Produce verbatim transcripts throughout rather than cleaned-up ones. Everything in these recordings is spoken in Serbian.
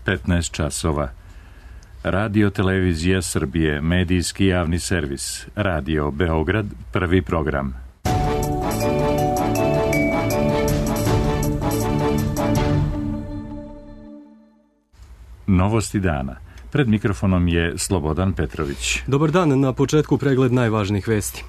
petnaest časova. Radio Televizija Srbije, medijski javni servis. Radio Beograd, prvi program. Novosti dana. Pred mikrofonom je Slobodan Petrović. Dobar dan, na početku pregled najvažnijih vesti.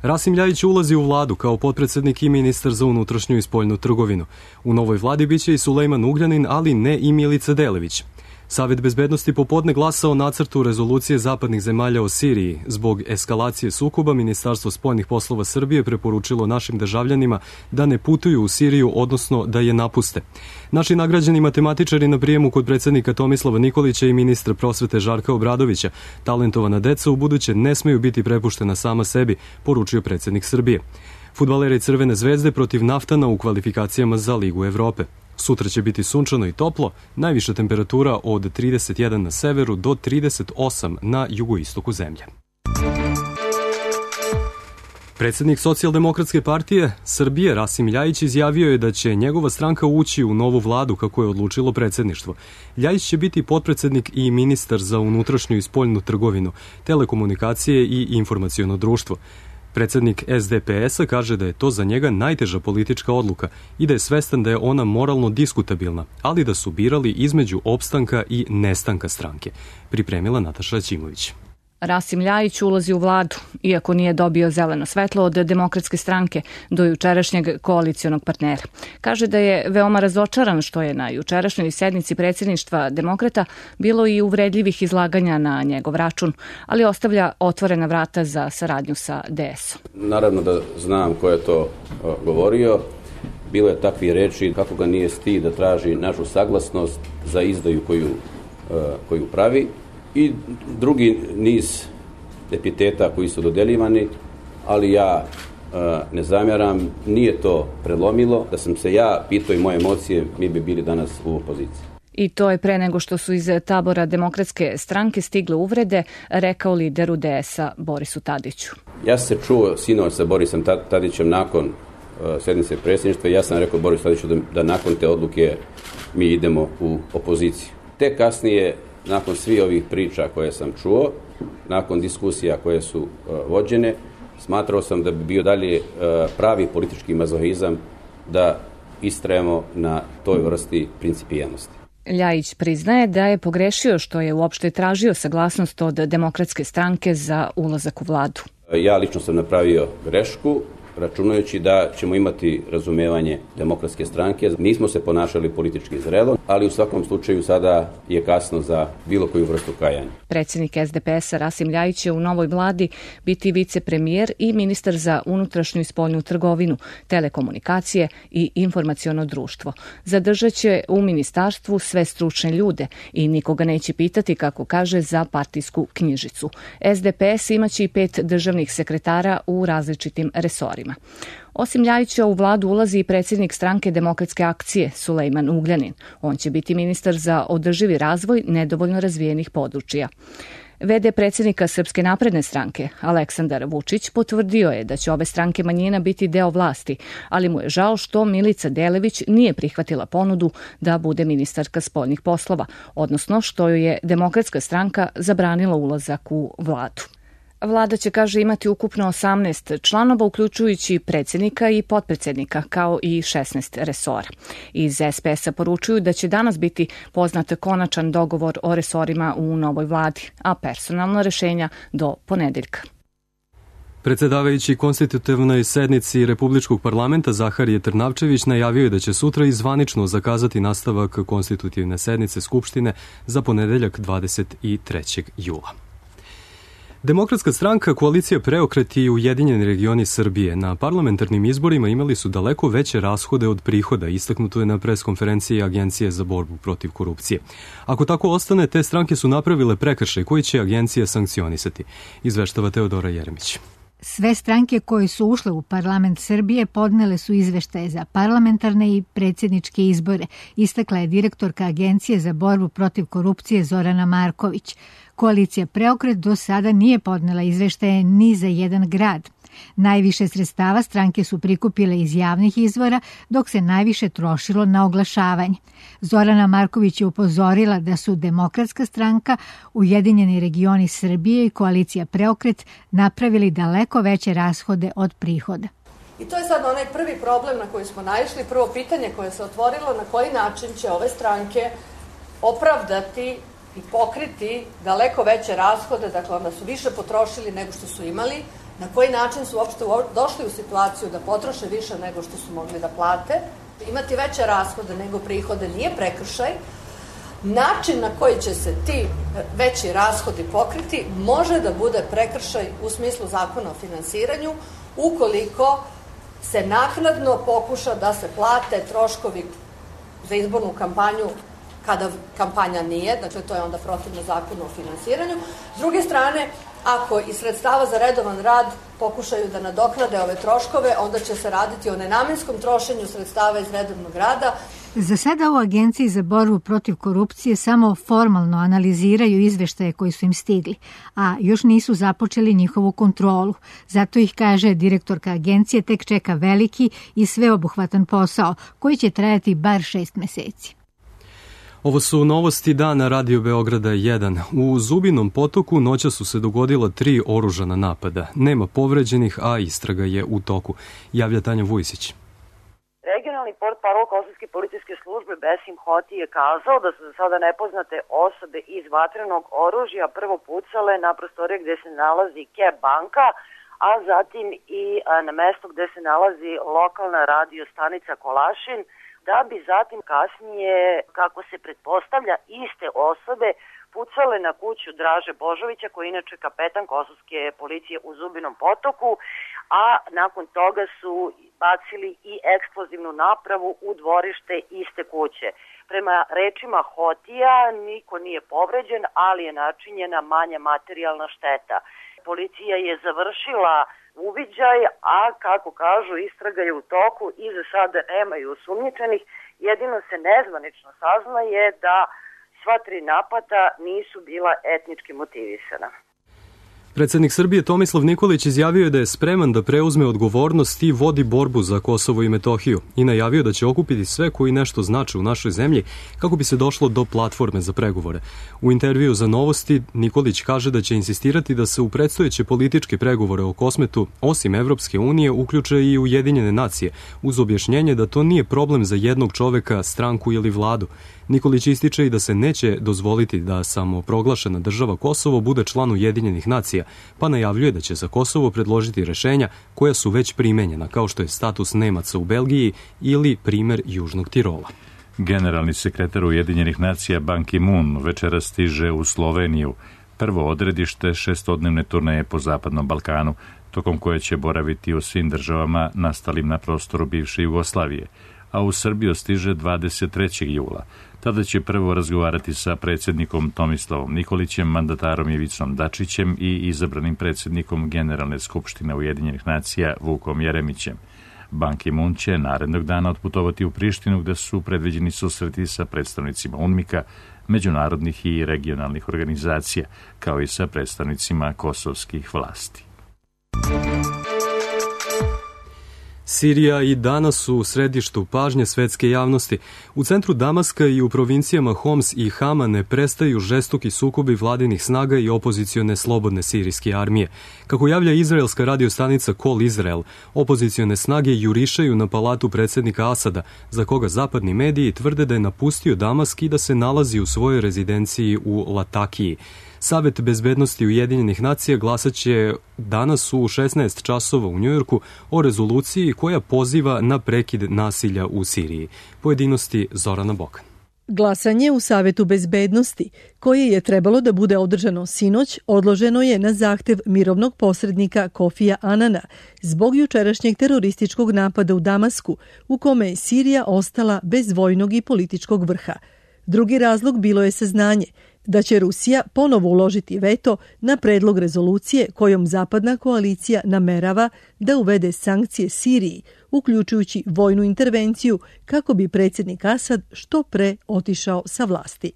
Rasim Ljajić ulazi u vladu kao potpredsednik i ministar za unutrašnju i spoljnu trgovinu. U novoj vladi biće i Sulejman Ugljanin, ali ne i Milica Delević. Savet bezbednosti popodne glasao o nacrtu rezolucije zapadnih zemalja o Siriji. Zbog eskalacije sukoba, Ministarstvo spoljnih poslova Srbije preporučilo našim državljanima da ne putuju u Siriju, odnosno da je napuste. Naši nagrađeni matematičari na prijemu kod predsednika Tomislava Nikolića i ministra prosvete Žarka Obradovića, talentovana deca u buduće ne smeju biti prepuštena sama sebi, poručio predsednik Srbije. Fudbaleri Crvene zvezde protiv Naftana u kvalifikacijama za Ligu Evrope. Sutra će biti sunčano i toplo, najviša temperatura od trideset jedan na severu do trideset osam na jugoistoku zemlje. Predsednik Socijaldemokratske partije Srbije Rasim Ljajić izjavio je da će njegova stranka ući u novu vladu kako je odlučilo predsedništvo. Ljajić će biti potpredsednik i ministar za unutrašnju i spoljnu trgovinu, telekomunikacije i informaciono društvo. Predsednik S D P S-a kaže da je to za njega najteža politička odluka i da je svestan da je ona moralno diskutabilna, ali da su birali između opstanka i nestanka stranke. Pripremila Nataša Ćimović. Rasim Ljajić ulazi u vladu, iako nije dobio zeleno svetlo od Demokratske stranke do jučerašnjeg koalicionog partnera. Kaže da je veoma razočaran što je na jučerašnjoj sednici predsjedništva Demokrata bilo i uvredljivih izlaganja na njegov račun, ali ostavlja otvorena vrata za saradnju sa D S-om. Naravno da znam ko je to govorio. Bilo je takvih reči kako ga nije stid da traži našu saglasnost za izdaju koju, koju pravi. I drugi niz epiteta koji su dodeljivani, ali ja e, ne zamjeram, nije to prelomilo. Da sam se ja pitao i moje emocije, mi bi bili danas u opoziciji. I to je pre nego što su iz tabora Demokratske stranke stigle uvrede, rekao lideru D S-a Borisu Tadiću. Ja sam se čuo sinoć sa Borisom Tadićem nakon e, sednice predsjedništva i ja sam rekao Borisu Tadiću da, da nakon te odluke mi idemo u opoziciju. Te kasnije, nakon svih ovih priča koje sam čuo, nakon diskusija koje su uh, vođene, smatrao sam da bi bio dalje uh, pravi politički mazohizam da istrajemo na toj vrsti principijelnosti. Ljajić priznaje da je pogrešio što je uopšte tražio saglasnost od Demokratske stranke za ulazak u vladu. Ja lično sam napravio grešku, računajući da ćemo imati razumevanje Demokratske stranke. Nismo se ponašali politički zrelo, ali u svakom slučaju sada je kasno za bilo koju vrstu kajanja. Predsjednik S D P S-a Rasim Ljajić će u novoj vladi biti vicepremijer i ministar za unutrašnju i spoljnu trgovinu, telekomunikacije i informaciono društvo. Zadržat će u ministarstvu sve stručne ljude i nikoga neće pitati, kako kaže, za partijsku knjižicu. S D P S imaće i pet državnih sekretara u različitim resorima. Osim Ljajića u vladu ulazi i predsjednik stranke Demokratske akcije Sulejman Ugljanin. On će biti ministar za održivi razvoj nedovoljno razvijenih područja. V D predsjednika Srpske napredne stranke Aleksandar Vučić potvrdio je da će ove stranke manjina biti deo vlasti, ali mu je žao što Milica Delević nije prihvatila ponudu da bude ministarka spoljnih poslova, odnosno što joj je Demokratska stranka zabranila ulazak u vladu. Vlada će, kaže, imati ukupno osamnaest članova, uključujući predsjednika i potpredsjednika, kao i šesnaest resora. Iz S P S-a poručuju da će danas biti poznat konačan dogovor o resorima u novoj vladi, a personalna rešenja do ponedeljka. Predsjedavajući konstitutivnoj sednici Republičkog parlamenta Zaharije Trnavčević najavio je da će sutra i zvanično zakazati nastavak konstitutivne sednice Skupštine za ponedeljak dvadeset trećeg jula. Demokratska stranka, koalicija Preokret i Ujedinjeni regioni Srbije na parlamentarnim izborima imali su daleko veće rashode od prihoda, istaknuto je na preskonferenciji Agencije za borbu protiv korupcije. Ako tako ostane, te stranke su napravile prekršaj koji će agencija sankcionisati, izveštava Teodora Jeremić. Sve stranke koje su ušle u parlament Srbije podnele su izveštaje za parlamentarne i predsjedničke izbore, istakla je direktorka Agencije za borbu protiv korupcije Zorana Marković. Koalicija Preokret do sada nije podnela izveštaje ni za jedan grad. Najviše sredstava stranke su prikupile iz javnih izvora, dok se najviše trošilo na oglašavanje. Zorana Marković je upozorila da su Demokratska stranka, Ujedinjeni regioni Srbije i koalicija Preokret napravili daleko veće rashode od prihoda. I to je sad onaj prvi problem na koji smo naišli, prvo pitanje koje se otvorilo, na koji način će ove stranke opravdati i pokriti daleko veće rashode, dakle onda su više potrošili nego što su imali, na koji način su uopšte došli u situaciju da potroše više nego što su mogli da plate. Imati veće rashode nego prihode nije prekršaj. Način na koji će se ti veći rashodi pokriti može da bude prekršaj u smislu zakona o finansiranju ukoliko se naknadno pokuša da se plate troškovi za izbornu kampanju kada kampanja nije, dakle to je onda protivno zakonu o finansiranju. S druge strane, ako iz sredstava za redovan rad pokušaju da nadoknade ove troškove, onda će se raditi o nenamenskom trošenju sredstava iz redovnog rada. Za sada u Agenciji za borbu protiv korupcije samo formalno analiziraju izveštaje koji su im stigli, a još nisu započeli njihovu kontrolu. Zato ih, kaže direktorka agencije, tek čeka veliki i sveobuhvatan posao koji će trajati bar šest meseci. Ovo su novosti dana Radio Beograda jedan. U Zubinom potoku noća su se dogodila tri oružana napada. Nema povređenih, a istraga je u toku. Javlja Tanja Vujsić. Regionalni portparol Kosovske policijske službe Besim Hoti je kazao da su za sada nepoznate osobe iz vatrenog oružja prvo pucale na prostorije gde se nalazi K banka, a zatim i na mesto gde se nalazi lokalna radio stanica Kolašin, da bi zatim kasnije, kako se pretpostavlja, iste osobe pucale na kuću Draže Božovića, koji je inače kapetan Kosovske policije u Zubinom potoku, a nakon toga su bacili i eksplozivnu napravu u dvorište iste kuće. Prema rečima Hotija, niko nije povređen, ali je načinjena manja materijalna šteta. Policija je završila uviđaj, a kako kažu, istraga je u toku i za sada nemaju osumnjičenih. Jedino se nezvanično saznaje da sva tri napada nisu bila etnički motivisana. Predsjednik Srbije Tomislav Nikolić izjavio je da je spreman da preuzme odgovornost i vodi borbu za Kosovo i Metohiju i najavio da će okupiti sve koji nešto znače u našoj zemlji kako bi se došlo do platforme za pregovore. U intervju za Novosti Nikolić kaže da će insistirati da se u predstojeće političke pregovore o Kosmetu, osim Evropske unije, uključe i Ujedinjene nacije, uz objašnjenje da to nije problem za jednog čoveka, stranku ili vladu. Nikolić ističe i da se neće dozvoliti da samoproglašena država Kosovo bude član Ujedinjenih nacija, pa najavljuje da će za Kosovo predložiti rešenja koja su već primenjena, kao što je status Nemaca u Belgiji ili primer Južnog Tirola. Generalni sekretar Ujedinjenih nacija Ban Ki-moon večera stiže u Sloveniju, prvo odredište šestodnevne turneje po Zapadnom Balkanu, tokom koje će boraviti u svim državama nastalim na prostoru bivše Jugoslavije, a u Srbiju stiže dvadeset trećeg jula. Tada će prvo razgovarati sa predsjednikom Tomislavom Nikolićem, mandatarom Ivicom Dačićem i izabranim predsjednikom Generalne skupštine Ujedinjenih nacija Vukom Jeremićem. Ban Ki-moon će narednog dana otputovati u Prištinu, gde su predviđeni susreti sa predstavnicima UNMIK-a, međunarodnih i regionalnih organizacija, kao i sa predstavnicima kosovskih vlasti. Sirija i danas su u središtu pažnje svetske javnosti. U centru Damaska i u provincijama Homs i Hama ne prestaju žestoki sukobi vladinih snaga i opozicione slobodne sirijske armije. Kako javlja izraelska radiostanica Kol Izrael, opozicione snage jurišaju na palatu predsjednika Asada, za koga zapadni mediji tvrde da je napustio Damask i da se nalazi u svojoj rezidenciji u Latakiji. Savet bezbednosti Ujedinjenih nacija glasaće danas u šesnaest časova u Njujorku o rezoluciji koja poziva na prekid nasilja u Siriji. Pojedinosti Zorana Bokan. Glasanje u Savetu bezbednosti, koje je trebalo da bude održano sinoć, odloženo je na zahtev mirovnog posrednika Kofija Anana zbog jučerašnjeg terorističkog napada u Damasku, u kome je Sirija ostala bez vojnog i političkog vrha. Drugi razlog bilo je saznanje da će Rusija ponovo uložiti veto na predlog rezolucije kojom zapadna koalicija namerava da uvede sankcije Siriji, uključujući vojnu intervenciju kako bi predsjednik Asad što pre otišao sa vlasti.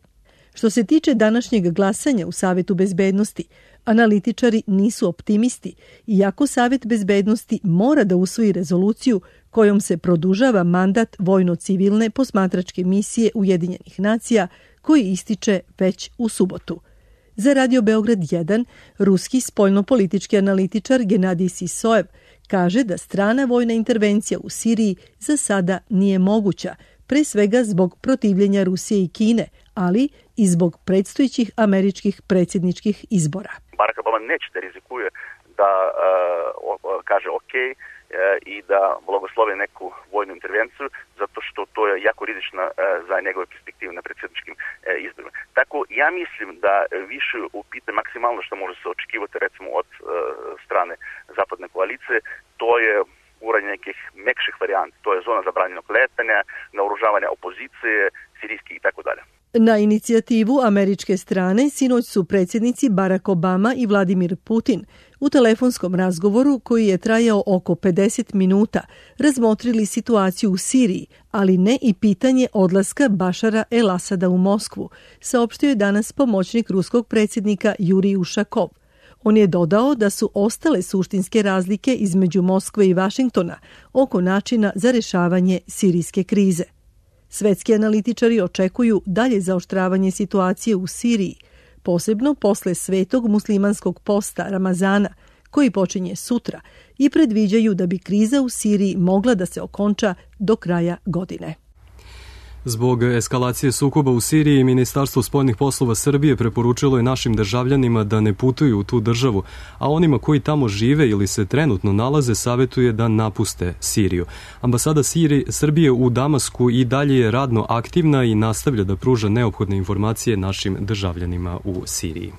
Što se tiče današnjeg glasanja u Savetu bezbednosti, Analitičari nisu optimisti, iako Savet bezbednosti mora da usvoji rezoluciju kojom se produžava mandat vojno-civilne posmatračke misije Ujedinjenih nacija koji ističe već u subotu. Za Radio Beograd jedan, ruski spoljnopolitički analitičar Genadij Sisojev kaže da strana vojna intervencija u Siriji za sada nije moguća, pre svega zbog protivljenja Rusije i Kine, ali i zbog predstojećih američkih predsjedničkih izbora. Barack Obama neće da rizikuje da uh, kaže ok uh, i da blagoslovi neku vojnu intervenciju, zato što to je jako rizično uh, za njegove perspektive na predsjedničkim uh, izborima. Tako, ja mislim da više upite maksimalno što može se očekivati recimo od uh, strane zapadne koalicije, to je uranje nekih mekših varijanti, to je zona zabranjenog letanja, naoružavanja opozicije, sirijskih i tako dalje. Na inicijativu američke strane sinoć su predsjednici Barack Obama i Vladimir Putin u telefonskom razgovoru koji je trajao oko pedeset minuta razmotrili situaciju u Siriji, ali ne i pitanje odlaska Bašara el-Asada u Moskvu, saopštio je danas pomoćnik ruskog predsjednika Jurij Ušakov. On je dodao da su ostale suštinske razlike između Moskve i Vašingtona oko načina za rješavanje sirijske krize. Svetski analitičari očekuju dalje zaoštravanje situacije u Siriji, posebno posle svetog muslimanskog posta Ramazana, koji počinje sutra, i predviđaju da bi kriza u Siriji mogla da se okonča do kraja godine. Zbog eskalacije sukoba u Siriji, Ministarstvo spoljnih poslova Srbije preporučilo je našim državljanima da ne putuju u tu državu, a onima koji tamo žive ili se trenutno nalaze savjetuje da napuste Siriju. Ambasada Sirije, Srbije u Damasku i dalje je radno aktivna i nastavlja da pruža neophodne informacije našim državljanima u Siriji.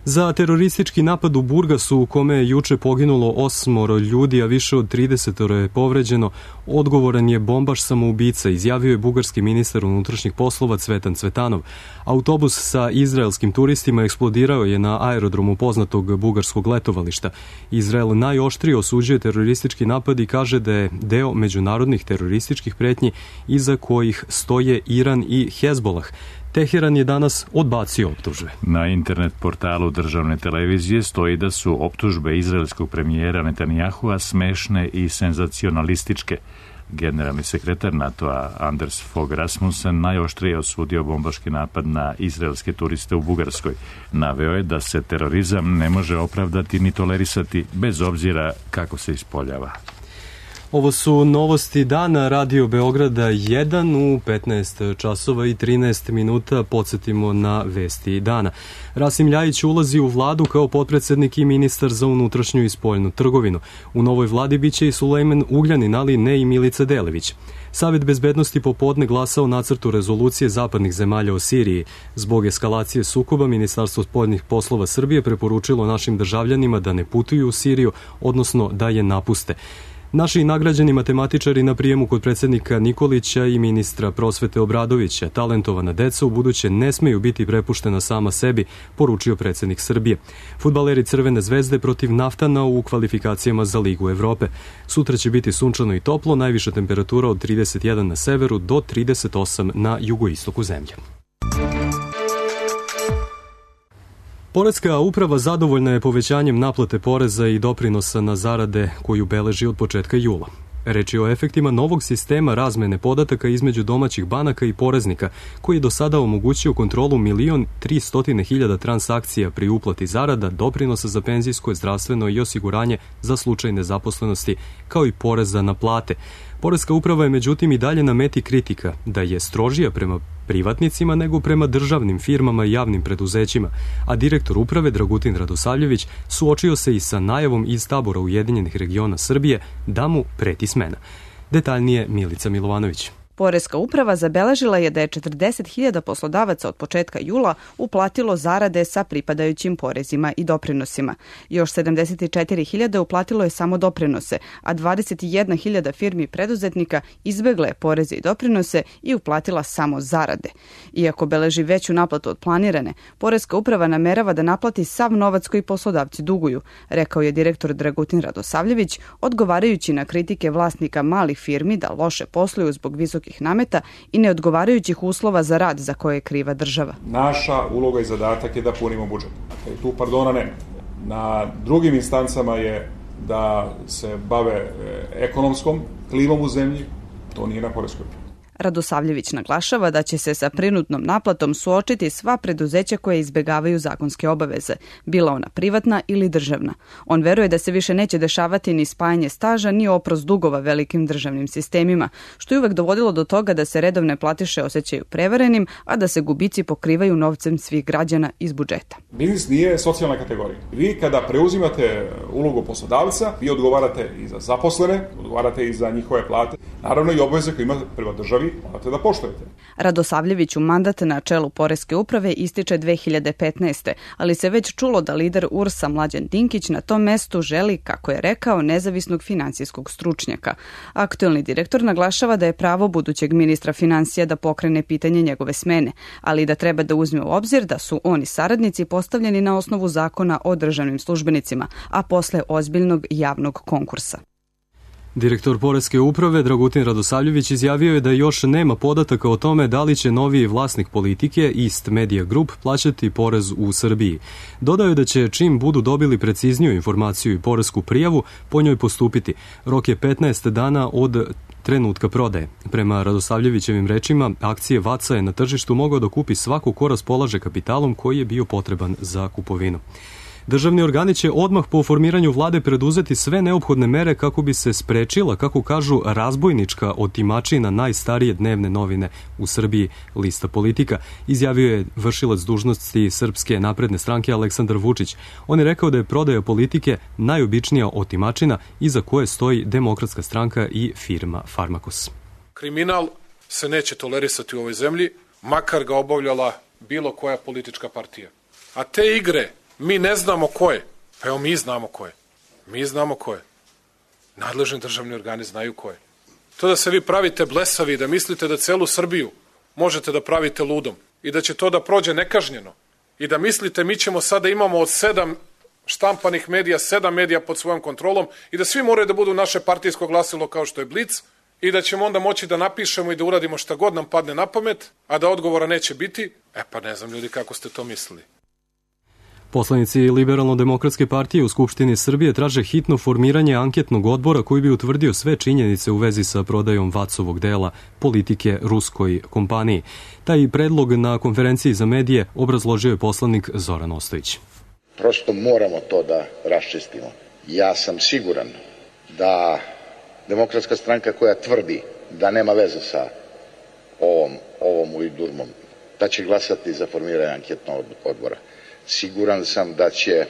Za teroristički napad u Burgasu, u kome je juče poginulo osmoro ljudi, a više od tridesetoro je povređeno, odgovoran je bombaš samoubica, izjavio je bugarski ministar unutrašnjih poslova Cvetan Cvetanov. Autobus sa izraelskim turistima eksplodirao je na aerodromu poznatog bugarskog letovališta. Izrael najoštrije osuđuje teroristički napad i kaže da je deo međunarodnih terorističkih pretnji iza kojih stoje Iran i Hezbolah. Teheran je danas odbacio optužbe. Na internet portalu državne televizije stoji da su optužbe izraelskog premijera Netanyahua smešne i senzacionalističke. Generalni sekretar NATO-a Anders Fogh Rasmussen najoštrije osudio bombaški napad na izraelske turiste u Bugarskoj. Naveo je da se terorizam ne može opravdati ni tolerisati bez obzira kako se ispoljava. Ovo su novosti dana Radio Beograda jedan u petnaest časova i trinaest minuta. Podsjetimo na vesti dana. Rasim Ljajić ulazi u vladu kao potpredsednik i ministar za unutrašnju i spoljnu trgovinu. U novoj vladi biće i Sulejman Ugljanin, ali ne i Milica Delević. Savet bezbednosti popodne glasao nacrtu rezolucije zapadnih zemalja o Siriji. Zbog eskalacije sukoba, Ministarstvo spoljnih poslova Srbije preporučilo našim državljanima da ne putuju u Siriju, odnosno da je napuste. Naši nagrađeni matematičari na prijemu kod predsjednika Nikolića i ministra prosvete Obradovića, talentovana deca, u buduće ne smeju biti prepuštena sama sebi, poručio predsjednik Srbije. Fudbaleri Crvene zvezde protiv Naftana u kvalifikacijama za Ligu Evrope. Sutra će biti sunčano i toplo, najviša temperatura od trideset jedan na severu do trideset osam na jugoistoku zemlje. Poreska uprava zadovoljna je povećanjem naplate poreza i doprinosa na zarade koju beleži od početka jula. Reč je o efektima novog sistema razmene podataka između domaćih banaka i poreznika, koji je do sada omogućio kontrolu milion tristotine hiljada transakcija pri uplati zarada, doprinosa za penzijsko, zdravstveno i osiguranje za slučaj nezaposlenosti, kao i poreza na plate. Poreska uprava je međutim i dalje na meti kritika da je strožija prema privatnicima nego prema državnim firmama i javnim preduzećima, a direktor uprave Dragutin Radosavljević suočio se i sa najavom iz tabora Ujedinjenih regiona Srbije da mu preti smena. Detaljnije Milica Milovanović. Poreska uprava zabeležila je da je četrdeset hiljada poslodavaca od početka jula uplatilo zarade sa pripadajućim porezima i doprinosima. Još sedamdeset četiri hiljade uplatilo je samo doprinose, a dvadeset jedna hiljada firmi preduzetnika izbegle je poreze i doprinose i uplatila samo zarade. Iako beleži veću naplatu od planirane, Poreska uprava namerava da naplati sav novac koji poslodavci duguju, rekao je direktor Dragutin Radosavljević, odgovarajući na kritike vlasnika malih firmi da loše posluju zbog visokih previsokih nameta i neodgovarajućih uslova za rad za koje je kriva država. Naša uloga i zadatak je da punimo budžet. Dakle, tu pardona nema. Na drugim instancama je da se bave ekonomskom klimom u zemlji, to nije na poreskoj. Radosavljević naglašava da će se sa prinudnom naplatom suočiti sva preduzeća koje izbegavaju zakonske obaveze, bila ona privatna ili državna. On veruje da se više neće dešavati ni spajanje staža ni oprost dugova velikim državnim sistemima, što je uvek dovodilo do toga da se redovne platiše osjećaju prevarenim, a da se gubici pokrivaju novcem svih građana iz budžeta. Biznis nije socijalna kategorija. Vi kada preuzimate ulogu poslodavca, vi odgovarate i za zaposlene, odgovarate i za njihove plate, naravno i obaveze koje imate prema državi, morate da poštujete. Radosavljeviću mandat na čelu Poreske uprave ističe dve hiljade petnaeste. ali se već čulo da lider U R S-a Mlađan Dinkić na tom mestu želi, kako je rekao, nezavisnog finansijskog stručnjaka. Aktuelni direktor naglašava da je pravo budućeg ministra finansija da pokrene pitanje njegove smene, ali da treba da uzme u obzir da su oni saradnici postavljeni na osnovu zakona o državnim službenicima, a posle ozbiljnog javnog konkursa. Direktor Poreske uprave Dragutin Radosavljević izjavio je da još nema podataka o tome da li će novi vlasnik Politike East Media Group plaćati porez u Srbiji. Dodao je da će čim budu dobili precizniju informaciju i poresku prijavu po njoj postupiti. Rok je petnaest dana od trenutka prodaje. Prema Radosavljevićevim rečima, akcije Vaca je na tržištu mogao da kupi svako ko raspolaže kapitalom koji je bio potreban za kupovinu. Državni organi će odmah po formiranju vlade preduzeti sve neophodne mere kako bi se sprečila, kako kažu, razbojnička otimačina najstarije dnevne novine u Srbiji, Lista Politika, izjavio je vršilac dužnosti Srpske napredne stranke Aleksandar Vučić. On je rekao da je prodaja Politike najobičnija otimačina iza koje stoji Demokratska stranka i firma Farmakos. Kriminal se neće tolerisati u ovoj zemlji, makar ga obavljala bilo koja politička partija. A te igre mi ne znamo ko je. Pa evo mi znamo ko je. Mi znamo ko je. Nadležni državni organi znaju ko je. To da se vi pravite blesavi, da mislite da celu Srbiju možete da pravite ludom i da će to da prođe nekažnjeno i da mislite mi ćemo sada imamo od sedam štampanih medija, sedam medija pod svojom kontrolom i da svi moraju da budu naše partijsko glasilo kao što je Blic i da ćemo onda moći da napišemo i da uradimo šta god nam padne na pamet, a da odgovora neće biti. E pa ne znam ljudi kako ste to mislili. Poslanici Liberalno-demokratske partije u Skupštini Srbije traže hitno formiranje anketnog odbora koji bi utvrdio sve činjenice u vezi sa prodajom Vacovog dela Politike ruskoj kompaniji. Taj predlog na konferenciji za medije obrazložio je poslanik Zoran Ostojić. Prosto moramo to da raščistimo. Ja sam siguran da Demokratska stranka koja tvrdi da nema veze sa ovom, ovom ujdurmom, da će glasati za formiranje anketnog odbora. Siguran sam da će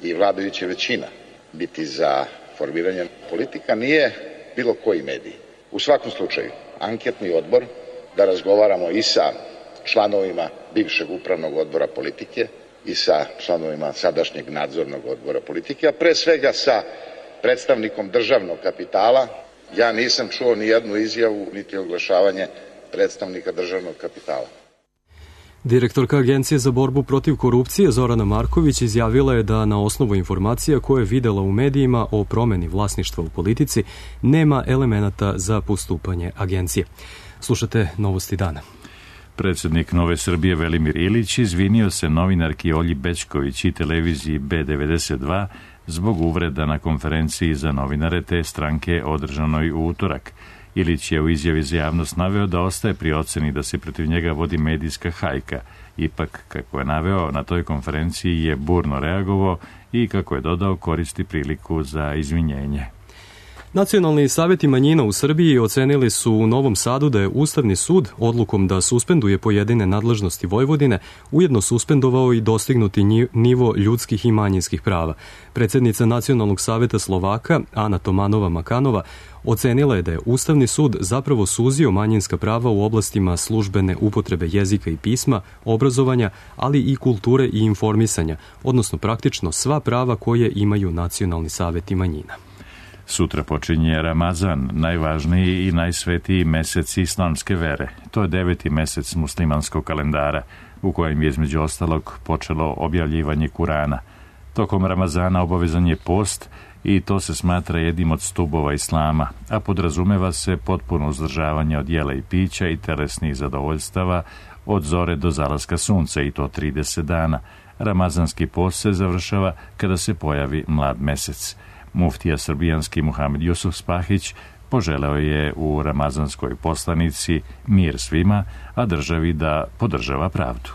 i vladajuća većina biti za formiranje. Politika nije bilo koji medij. U svakom slučaju, anketni odbor, da razgovaramo i sa članovima bivšeg upravnog odbora Politike i sa članovima sadašnjeg nadzornog odbora Politike, a pre svega sa predstavnikom državnog kapitala. Ja nisam čuo ni jednu izjavu niti oglašavanje predstavnika državnog kapitala. Direktorka Agencije za borbu protiv korupcije Zorana Marković izjavila je da na osnovu informacija koje je videla u medijima o promeni vlasništva u Politici nema elemenata za postupanje agencije. Slušate Novosti dana. Predsjednik Nove Srbije Velimir Ilić izvinio se novinarki Olji Bećković i televiziji B devedeset dva zbog uvreda na konferenciji za novinare te stranke održanoj u utorak. Ilić je u izjavi za javnost naveo da ostaje pri oceni da se protiv njega vodi medijska hajka. Ipak, kako je naveo, na toj konferenciji je burno reagovao i, kako je dodao, koristi priliku za izvinjenje. Nacionalni savjeti manjina u Srbiji ocenili su u Novom Sadu da je Ustavni sud odlukom da suspenduje pojedine nadležnosti Vojvodine ujedno suspendovao i dostignuti nivo ljudskih i manjinskih prava. Predsjednica Nacionalnog savjeta Slovaka, Ana Tomanova-Makanova, ocenila je da je Ustavni sud zapravo suzio manjinska prava u oblastima službene upotrebe jezika i pisma, obrazovanja, ali i kulture i informisanja, odnosno praktično sva prava koje imaju nacionalni savjeti manjina. Sutra počinje Ramazan, najvažniji i najsvetiji mesec islamske vere. To je deveti mesec muslimanskog kalendara, u kojem je između ostalog počelo objavljivanje Kurana. Tokom Ramazana obavezan je post i to se smatra jednim od stubova islama, a podrazumeva se potpuno uzdržavanje od jela i pića i telesnih zadovoljstava od zore do zalaska sunca, i to trideset dana. Ramazanski post se završava kada se pojavi mlad mesec. Muftija srbijanski Muhamed Jusuf Spahić poželeo je u ramazanskoj poslanici mir svima, a državi da podržava pravdu.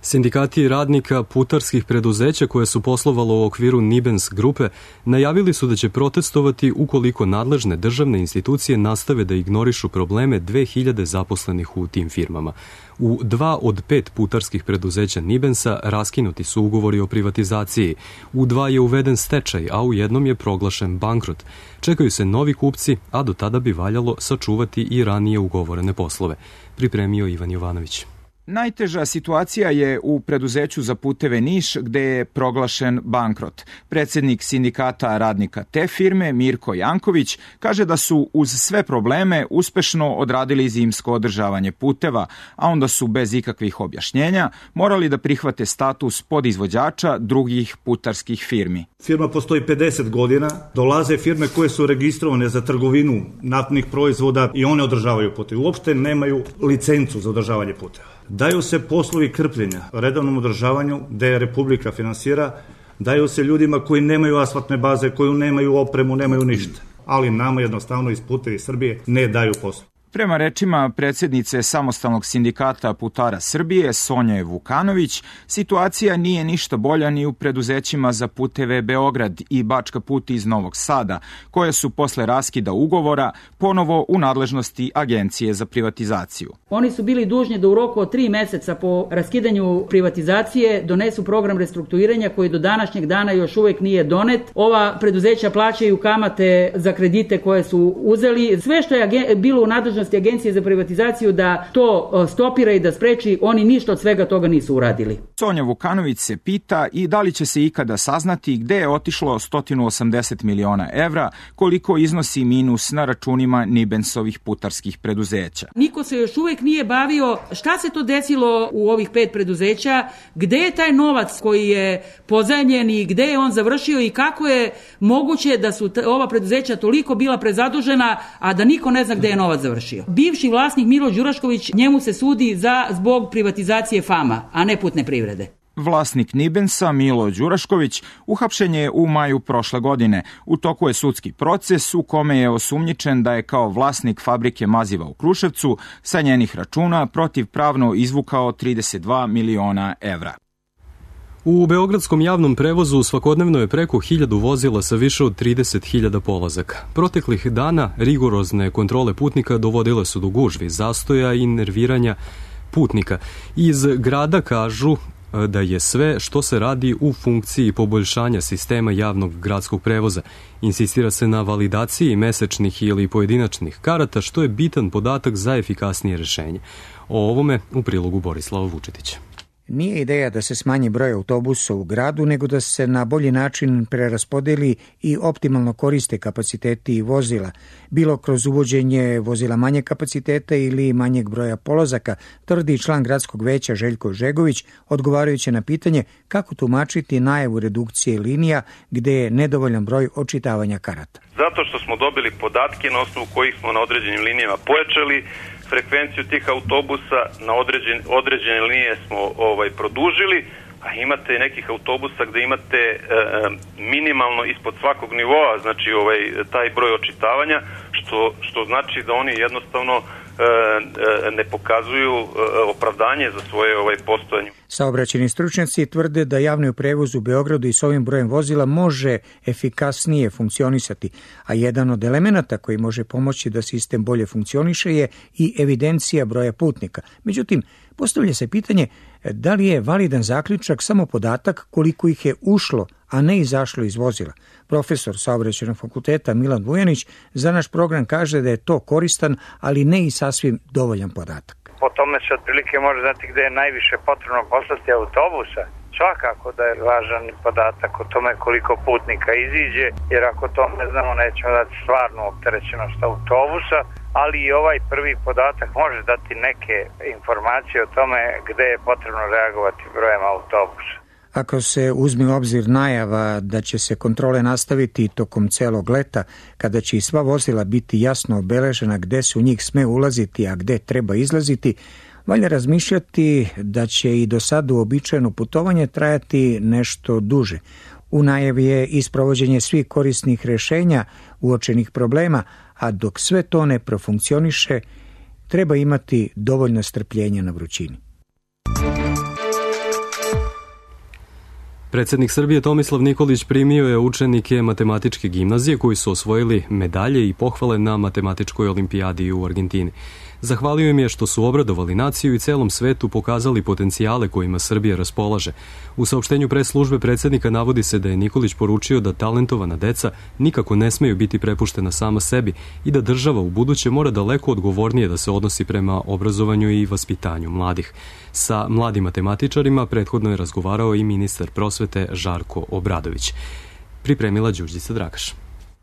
Sindikati radnika putarskih preduzeća koje su poslovalo u okviru Nibens grupe najavili su da će protestovati ukoliko nadležne državne institucije nastave da ignorišu probleme dve hiljade zaposlenih u tim firmama. U dva od pet putarskih preduzeća Nibensa raskinuti su ugovori o privatizaciji. U dva je uveden stečaj, a u jednom je proglašen bankrot. Čekaju se novi kupci, a do tada bi valjalo sačuvati i ranije ugovorene poslove. Pripremio Ivan Jovanović. Najteža situacija je u preduzeću za puteve Niš, gde je proglašen bankrot. Predsjednik sindikata radnika te firme, Mirko Janković, kaže da su uz sve probleme uspešno odradili zimsko održavanje puteva, a onda su bez ikakvih objašnjenja morali da prihvate status podizvođača drugih putarskih firmi. Firma postoji pedeset godina, dolaze firme koje su registrovane za trgovinu naftnih proizvoda i one održavaju puteve. Uopšte nemaju licencu za održavanje puteva. Daju se poslovi krpljenja redovnom održavanju, gde Republika finansira, daju se ljudima koji nemaju asfaltne baze, koji nemaju opremu, nemaju ništa. Ali nama jednostavno iz Putevi Srbije ne daju poslu. Prema rečima predsjednice Samostalnog sindikata putara Srbije, Sonje Vukanović, situacija nije ništa bolja ni u preduzećima za puteve Beograd i Bačka put iz Novog Sada, koje su posle raskida ugovora ponovo u nadležnosti Agencije za privatizaciju. Oni su bili dužni da u roku od tri meseca po raskidanju privatizacije donesu program restrukturiranja koji do današnjeg dana još uvek nije donet. Ova preduzeća plaćaju kamate za kredite koje su uzeli. Sve što je bilo u nadležnosti Agencije za privatizaciju da to stopira i da spreči, oni ništa od svega toga nisu uradili. Sonja Vukanović se pita i da li će se ikada saznati gde je otišlo sto osamdeset miliona evra, koliko iznosi minus na računima Nibensovih putarskih preduzeća. Niko se još uvek nije bavio šta se to desilo u ovih pet preduzeća, gde je taj novac koji je pozajmljen i gde je on završio i kako je moguće da su ova preduzeća toliko bila prezadužena, a da niko ne zna gde je novac završio. Bivši vlasnik Milo Đurašković, njemu se sudi za zbog privatizacije Fama, a ne putne privrede. Vlasnik Nibensa, Milo Đurašković, uhapšen je u maju prošle godine. U toku je sudski proces u kome je osumnjičen da je kao vlasnik fabrike maziva u Kruševcu sa njenih računa protivpravno izvukao trideset dva miliona evra. U beogradskom javnom prevozu svakodnevno je preko hiljadu vozila sa više od trideset hiljada polazaka. Proteklih dana rigorozne kontrole putnika dovodile su do gužvi, zastoja i nerviranja putnika. Iz grada kažu da je sve što se radi u funkciji poboljšanja sistema javnog gradskog prevoza. Insistira se na validaciji mesečnih ili pojedinačnih karata, što je bitan podatak za efikasnije rešenje. O ovome u prilogu Borislava Vučetića. Nije ideja da se smanji broj autobusa u gradu, nego da se na bolji način preraspodeli i optimalno koriste kapaciteti vozila, bilo kroz uvođenje vozila manje kapaciteta ili manjeg broja polazaka, tvrdi član gradskog veća Željko Žegović, odgovarajući na pitanje kako tumačiti najavu redukcije linija gde je nedovoljan broj očitavanja karata. Zato što smo dobili podatke na osnovu kojih smo na određenim linijama pojačali frekvenciju tih autobusa, na određen, određene linije smo ovaj produžili, a imate nekih autobusa gde imate e, minimalno ispod svakog nivoa, znači ovaj taj broj očitavanja, što, što znači da oni jednostavno e, e, ne pokazuju e, opravdanje za svoje ovaj postojanje. Saobraćajni stručnjaci tvrde da javni prevoz u Beogradu i s ovim brojem vozila može efikasnije funkcionisati, a jedan od elemenata koji može pomoći da sistem bolje funkcioniše je i evidencija broja putnika. Međutim, postavlja se pitanje da li je validan zaključak samo podatak koliko ih je ušlo, a ne izašlo iz vozila. Profesor Saobraćajnog fakulteta Milan Vujanić za naš program kaže da je to koristan, ali ne i sasvim dovoljan podatak. Po tome se otprilike može znati gde je najviše potrebno poslati autobusa. Svakako da je važan podatak o tome koliko putnika iziđe, jer ako to ne znamo nećemo dati stvarnu opterećenost autobusa, ali i ovaj prvi podatak može dati neke informacije o tome gde je potrebno reagovati brojem autobusa. Ako se uzme u obzir najava da će se kontrole nastaviti tokom celog leta, kada će i sva vozila biti jasno obeležena gde se u njih sme ulaziti, a gde treba izlaziti, valja razmišljati da će i do sada uobičajeno putovanje trajati nešto duže. U najavi je i sprovođenje svih korisnih rešenja uočenih problema, a dok sve to ne profunkcioniše, treba imati dovoljno strpljenja na vrućini. Predsjednik Srbije Tomislav Nikolić primio je učenike matematičke gimnazije koji su osvojili medalje i pohvale na matematičkoj olimpijadi u Argentini. Zahvalio im je što su obradovali naciju i celom svetu pokazali potencijale kojima Srbija raspolaže. U saopštenju pres službe predsjednika navodi se da je Nikolić poručio da talentovana deca nikako ne smeju biti prepuštena sama sebi i da država u buduće mora daleko odgovornije da se odnosi prema obrazovanju i vaspitanju mladih. Sa mladim matematičarima prethodno je razgovarao i ministar prosvete Žarko Obradović. Pripremila Đurđica Dragaš.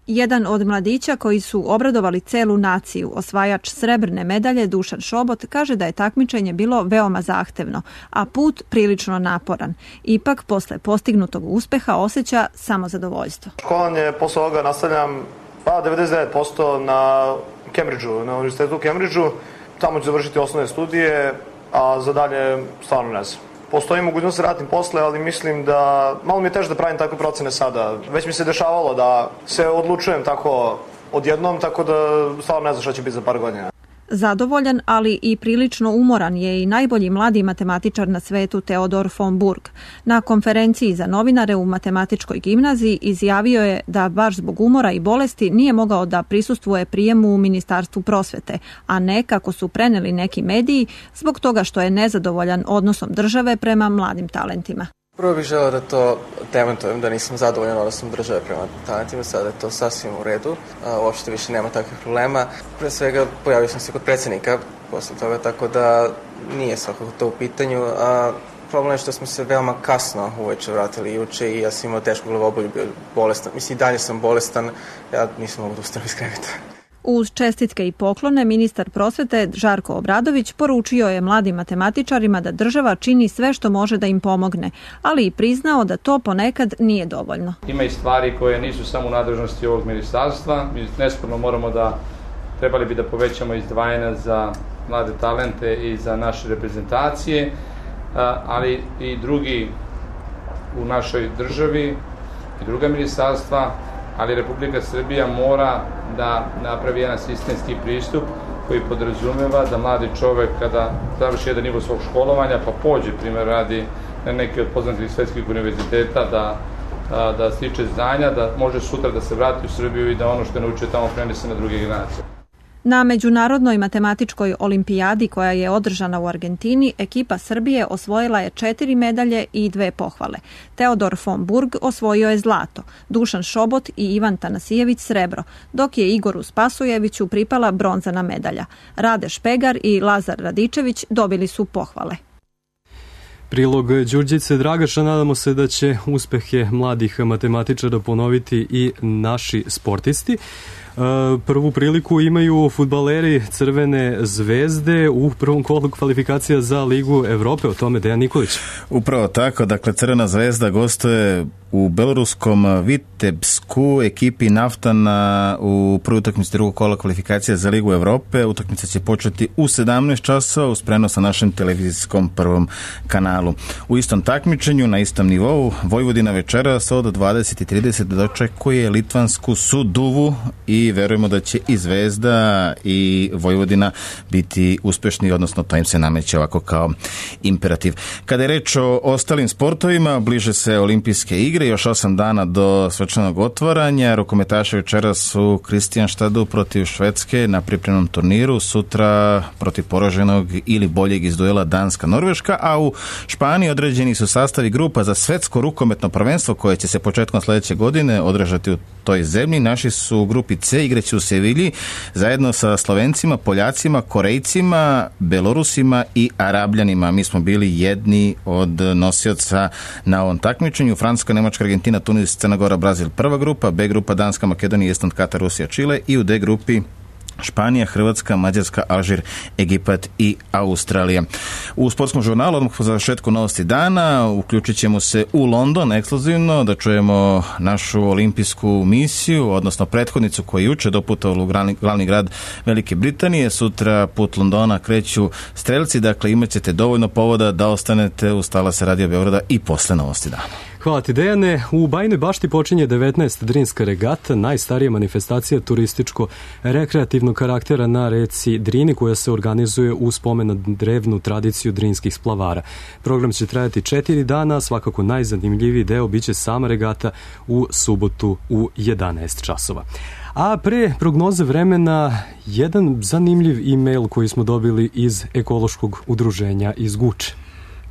Jedan od mladića koji su obradovali celu naciju, osvajač srebrne medalje Dušan Šobot, kaže da je takmičenje bilo veoma zahtevno, a put prilično naporan. Ipak, posle postignutog uspeha osjeća samo zadovoljstvo. Školovanje posle ovoga nastavljam pa devedeset devet posto na Cambridgeu, na univerzitetu u Cambridgeu. Tamo ću završiti osnovne studije, a za dalje stvarno ne znam. Postoji mogućnost da radim posle, ali mislim da malo mi je teže da pravim takve procene sada. Već mi se dešavalo da se odlučujem tako odjednom, tako da stvarno ne znam šta će biti za par godina. Zadovoljan, ali i prilično umoran je i najbolji mladi matematičar na svetu Teodor von Burg. Na konferenciji za novinare u matematičkoj gimnaziji izjavio je da baš zbog umora i bolesti nije mogao da prisustvuje prijemu u Ministarstvu prosvete, a ne, kako su preneli neki mediji, zbog toga što je nezadovoljan odnosom države prema mladim talentima. Prvo bih želeo da to demantujem, da nisam zadovoljan odnosom države prema talentima, sada je to sasvim u redu, uopšte više nema takvih problema. Pre svega pojavio sam se kod predsjednika posle toga, tako da nije svakako to u pitanju, a problem je što smo se veoma kasno uveče vratili juče i ja sam imao tešku glavobolju, bio bolestan. Mislim, i dalje sam bolestan, ja nisam mogu da ustanem iz kreveta. Uz čestitke i poklone, ministar prosvete Žarko Obradović poručio je mladim matematičarima da država čini sve što može da im pomogne, ali i priznao da to ponekad nije dovoljno. Ima i stvari koje nisu samo u nadležnosti ovog ministarstva. Mi nesporno moramo da, trebali bi da povećamo izdvajanja za mlade talente i za naše reprezentacije, ali i drugi u našoj državi i druga ministarstva, ali Republika Srbija mora da napravi jedan sistemski pristup koji podrazumeva da mladi čovek kada završi jedan nivo svog školovanja pa pođe, primjer radi na neki od poznatih svetskih univerziteta, da, da stiče znanja, da može sutra da se vrati u Srbiju i da ono što je naučio tamo prenese na druge generacije. Na Međunarodnoj matematičkoj olimpijadi koja je održana u Argentini, ekipa Srbije osvojila je četiri medalje i dve pohvale. Teodor von Burg osvojio je zlato, Dušan Šobot i Ivan Tanasijević srebro, dok je Igoru Spasujeviću pripala bronzana medalja. Rade Špegar i Lazar Radičević dobili su pohvale. Prilog Đurđice Dragaša, nadamo se da će uspehe mladih matematičara ponoviti i naši sportisti. Prvu priliku imaju fudbaleri Crvene zvezde u prvom kolu kvalifikacija za Ligu Evrope. O tome Dejan Nikolić. Upravo tako, dakle Crvena zvezda gostuje u beloruskom Vitebsku ekipi Naftana u prvoj utakmici drugog kola kvalifikacija za Ligu Evrope. Utakmica će početi u sedamnaest časova uz prenos na našem televizijskom prvom kanalu. U istom takmičenju, na istom nivou, Vojvodina večeras od dvadeset i trideset dočekuje litvansku Suduvu i verujemo da će i Zvezda i Vojvodina biti uspešni, odnosno to im se nameće ovako kao imperativ. Kada je reč o ostalim sportovima, bliže se olimpijske igre, još osam dana do svečanog otvaranja. Rukometaši večeras u Kristijanštadu protiv Švedske na pripremnom turniru, sutra protiv poraženog ili boljeg iz duela Danska-Norveška, a u Španiji određeni su sastavi grupa za svetsko rukometno prvenstvo koje će se početkom sledeće godine održati u toj zemlji. Naši su u grupi C, igraće u Sevilji zajedno sa Slovencima, Poljacima, Korejcima, Belorusima i Arabljanima. Mi smo bili jedni od nosioca na ovom takmičenju. Francuska, Nemačka, Argentina, Tunis, Crna Gora, Brazil prva grupa, B grupa Danska, Makedonija, Estland, Katar, Rusija, Čile i u D grupi Španija, Hrvatska, Mađarska, Alžir, Egipat i Australija. U sportskom žurnalu, odmah po završetku novosti dana, uključit ćemo se u London ekskluzivno da čujemo našu olimpijsku misiju, odnosno prethodnicu koja je juče doputovala u glavni, glavni grad Velike Britanije. Sutra put Londona kreću strelci, dakle imat ćete dovoljno povoda da ostanete uz talase Radio Beograda i posle novosti dana. Hvala ti, Dejane. U Bajinoj Bašti počinje devetnaesta Drinska regata, najstarija manifestacija turističko-rekreativnog karaktera na reci Drini, koja se organizuje u spomen na drevnu tradiciju drinskih splavara. Program će trajati četiri dana, svakako najzanimljiviji deo biće sama regata u subotu u jedanaest časova. A pre prognoze vremena, jedan zanimljiv e-mail koji smo dobili iz ekološkog udruženja iz Guče.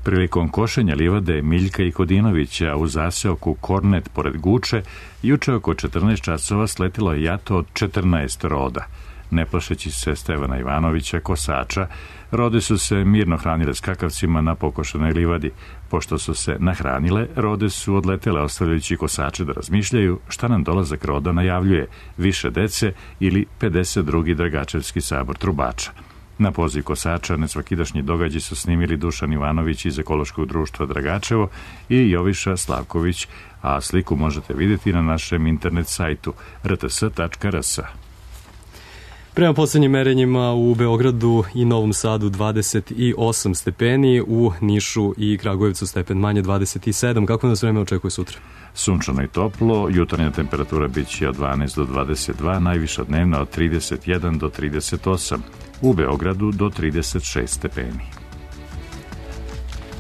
Prilikom košenja livade Miljka i Kodinovića u zaseoku Kornet pored Guče, juče oko četrnaest časova sletilo je jato od četrnaest roda. Ne plašeći se Stevana Ivanovića, kosača, rode su se mirno hranile skakavcima na pokošenoj livadi. Pošto su se nahranile, rode su odletele ostavljajući kosače da razmišljaju šta nam dolazak roda najavljuje, više dece ili pedeset drugi Dragačevski sabor trubača. Na poziv kosača nesvakidašnji događaj su snimili Dušan Ivanović iz ekološkog društva Dragačevo i Joviša Slavković, a sliku možete vidjeti na našem internet sajtu r t s tačka r s. Prema poslednjim merenjima u Beogradu i Novom Sadu dvadeset osam stepeni, u Nišu i Kragujevcu stepen manje dvadeset sedam. Kako nas vreme očekuje sutra? Sunčano i toplo, jutarnja temperatura bit će od dvanaest do dvadeset dva, najviša dnevna od trideset jedan do trideset osam, u Beogradu do trideset šest stepeni.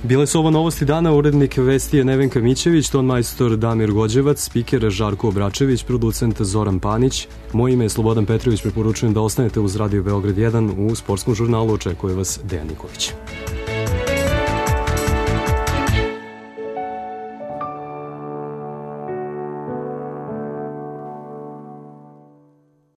Bile su ovo novosti dana, urednik vesti je Nevenka Mićević, ton majstor Damir Gođevac, spiker Žarko Obračević, producent Zoran Panić. Moje ime je Slobodan Petrović, preporučujem da ostanete uz Radio Beograd jedan, u sportskom žurnalu očekuje vas Dejan Nikolić.